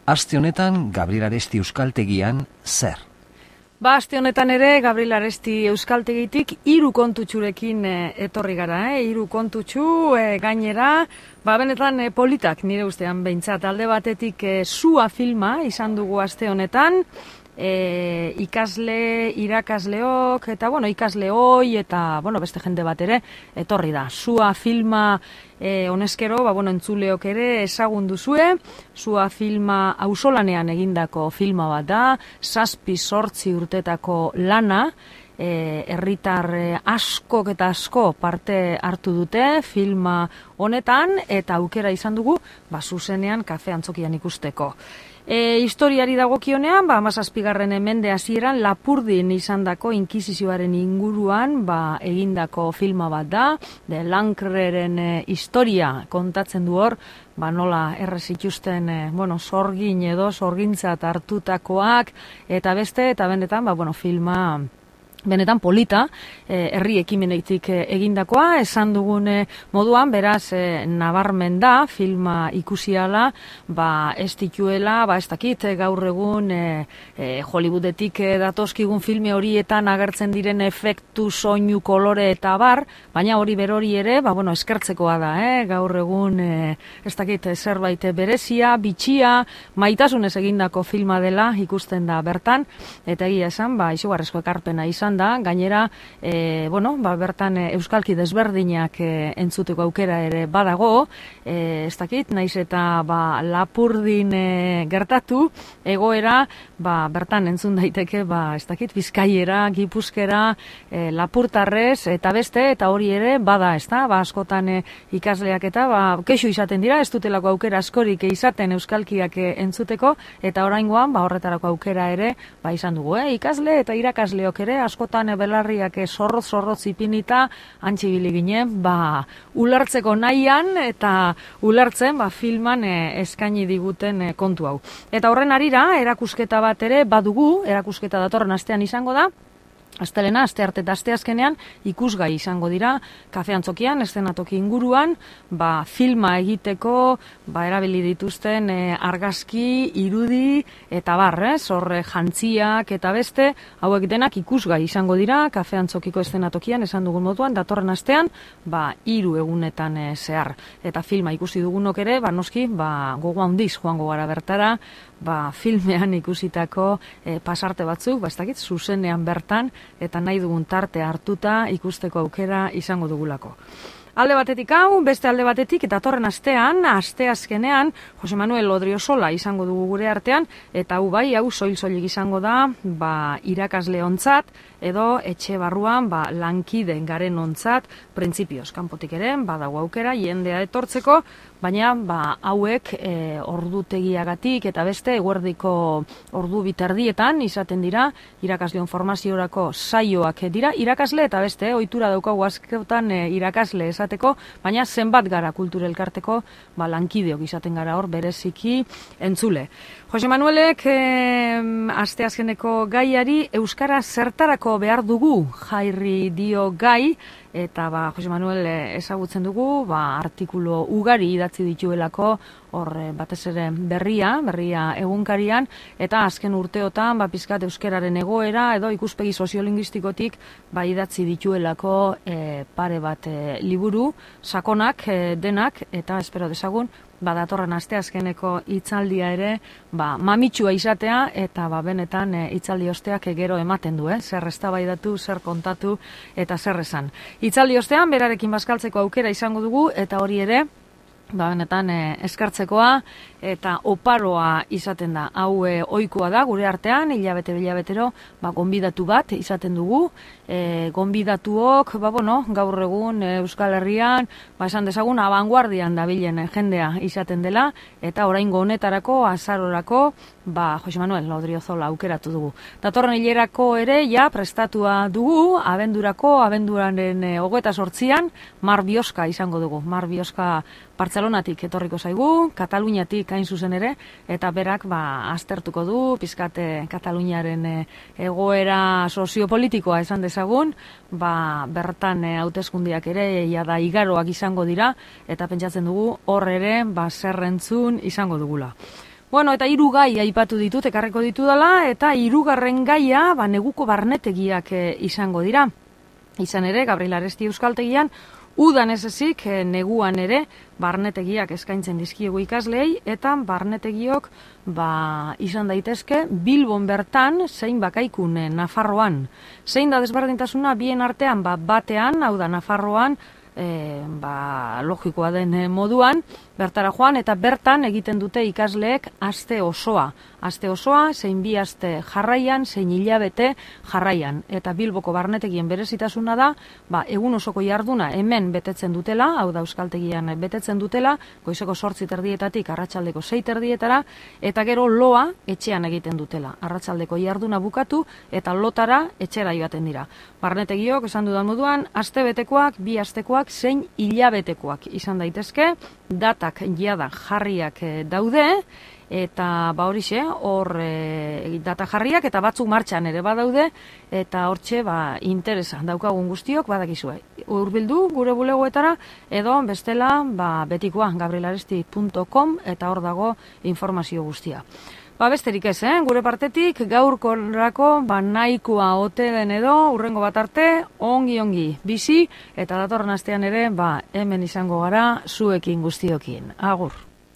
Aste honetan Gabriel Aresti Euskaltegian zer? Aste honetan ere Gabriel Aresti Euskaltegitik 3 kontutxurekin etorri gara, 3 kontutxu gainera, benetan politak nire ustean behintzat. Alde batetik Sua filma izan dugu aste honetan, ikasle, irakasleok, eta ikasleoi eta beste jende bat ere etorri da. Sua filma honezkero, entzuleok ere ezagun duzue, Sua filma auzolanean egindako filma bat da, 7-8 urtetako lana, herritar askok eta asko parte hartu dute filma honetan, eta aukera izan dugu, zuzenean kafe antzokian ikusteko. Historiari dagokionean, 17. mende hasieran Lapurdin izandako inkisizioaren inguruan egindako filma bat da, de Lankreren historia kontatzen du hor, nola errez ikusten sorgin edo sorgintzat hartutakoak, eta beste, eta benetan, filma benetan polita, herri ekimenetik egindakoa, esan dugun moduan, beraz, nabarmen da, filma ikusiala, ez dituela, ez dakit, gaur egun Hollywoodetik datozkigun filme horietan agertzen diren efektu, soinu, kolore eta bar, baina hori berori ere, eskertzekoa da, gaur egun, ez dakit, zerbait berezia, bitxia, maitasunez egindako filma dela ikusten da bertan, eta egia esan, izugarrezko ekarpena izan da, gainera, bertan euskalki desberdinak entzuteko aukera ere badago, ez dakit, naiz eta Lapurdin gertatu, egoera, bertan entzun daiteke, ez dakit, Bizkaiera, Gipuzkera, Lapurtarrez, eta beste, eta hori ere bada, ez da, askotan ikasleak eta, kexu izaten dira, ez dutelako aukera askorik izaten euskalkiak entzuteko, eta oraingoan, horretarako aukera ere, izan dugu, ikasle eta irakasleok ere, askotan belarriak zorroz ipinita, antxibili ginen, ulertzeko nahian, eta ulertzen, filman eskaini diguten kontu hau. Eta horren arira, erakusketa bat ere badugu, erakusketa datorren astean izango da, astelena, astearte eta asteazkenean ikusgai izango dira, kafe antzokian, eszenatoki inguruan, filma egiteko, erabili dituzten argazki, irudi, eta horre jantziak eta beste, hauek denak ikusgai izango dira, kafe antzokiko eszenatokian, esan dugun moduan, datorren astean, 3 egunetan zehar. Eta filma ikusi dugunok ere, noski, gogo handiz joango gara bertara, filmean ikusitako pasarte batzuk, ez dakit, zuzenean bertan, eta nahi dugun tarte hartuta ikusteko aukera izango dugulako. Alde batetik hau, beste alde batetik, eta datorren astean, asteazkenean, Jose Manuel Odriozola izango dugu gure artean, eta hau soil-soilik izango da, irakasle ontzat, edo etxe barruan, lankide garen ontzat, printzipioz, kanpotik ere, badago aukera, jendea etortzeko, baina hauek ordutegiagatik eta beste eguerdiko ordu biterdietan izaten dira, irakasleon formaziorako saioak dira, irakasle eta beste, ohitura daukagu askotan irakasle esateko, baina zenbat gara kultura elkarteko lankideok izaten gara hor bereziki entzule. Jose Manuelek asteazkeneko gaiari euskara zertarako behar dugu jarri dio gai, eta Jose Manuel ezagutzen dugu, artikulu ugari idatzi dituelako, hor batez ere berria egunkarian, eta azken urteotan pizkat euskararen egoera edo ikuspegi soziolinguistikotik idatzi dituelako pare bat liburu, sakonak denak, eta espero dezagun, datorren asteazkeneko hitzaldia ere, mamitsua izatea, eta benetan hitzaldi osteak gero ematen du, zer eztabaidatu, zer kontatu, eta zer esan. Hitzaldi ostean, berarekin bazkaltzeko aukera izango dugu, eta hori ere, benetan eskartzekoa, eta oparoa izaten da. Hau ohikoa da gure artean, hilabetero, gonbidatu bat izaten dugu, gonbidatuok, gaur egun Euskal Herrian, esan dezagun, abanguardian dabilen jendea izaten dela, eta oraingo honetarako, azarorako, Jose Manuel Odriozola aukeratu dugu. Datorren hilerako ere, prestatua dugu, abenduraren 28an, Mar Bioska izango dugu. Mar Bioska Bartzelonatik etorriko zaigu, Kataluniatik hain zuzen ere, eta berak aztertuko du, pizkate Kataluniaren egoera soziopolitikoa esan dezagun, bertan hauteskundiak ere da igaroak izango dira, eta pentsatzen dugu hor ere zerrentzun izango dugula. Bueno, eta 3 gai aipatu ditut, ekarreko ditudala, eta 3. gaia, neguko barnetegiak izango dira. Izan ere, Gabriel Aresti Euskaltegian, udan ez ezik, neguan ere, barnetegiak eskaintzen dizkiegu ikasleei, eta barnetegiok izan daitezke Bilbon bertan, zein bakaikun Nafarroan. Zein da desberdintasuna bien artean, batean, hau da Nafarroan, logikoa den moduan, bertara joan, eta bertan egiten dute ikasleek aste osoa. Aste osoa, zein 2 aste jarraian, zein hilabete jarraian. Eta Bilboko barnetegien berezitasuna da, egun osoko jarduna hemen betetzen dutela, hau da Euskaltegian betetzen dutela, goizeko 8:30 arratsaldeko 6:30, eta gero loa etxean egiten dutela. Arratsaldeko jarduna bukatu, eta lotara etxera joaten dira. Barnetegiok, esan dudan moduan, astebetekoak, 2 astekoak, zein hilabetekoak izan daitezke, datak jada jarriak daude, eta horixe, hor data jarriak, eta batzuk martxan ere badaude, eta hortxe interesa daukagun guztiok badakizue. Hurbildu gure bulegoetara, edo bestela betikoa gabrielaresti.com, eta hor dago informazio guztia. Besterik ez, gure partetik, gaurkorako nahikoa ote den edo, hurrengo bat arte, ongi bizi, eta datorren astean ere, hemen izango gara zuekin guztiokin. Agur!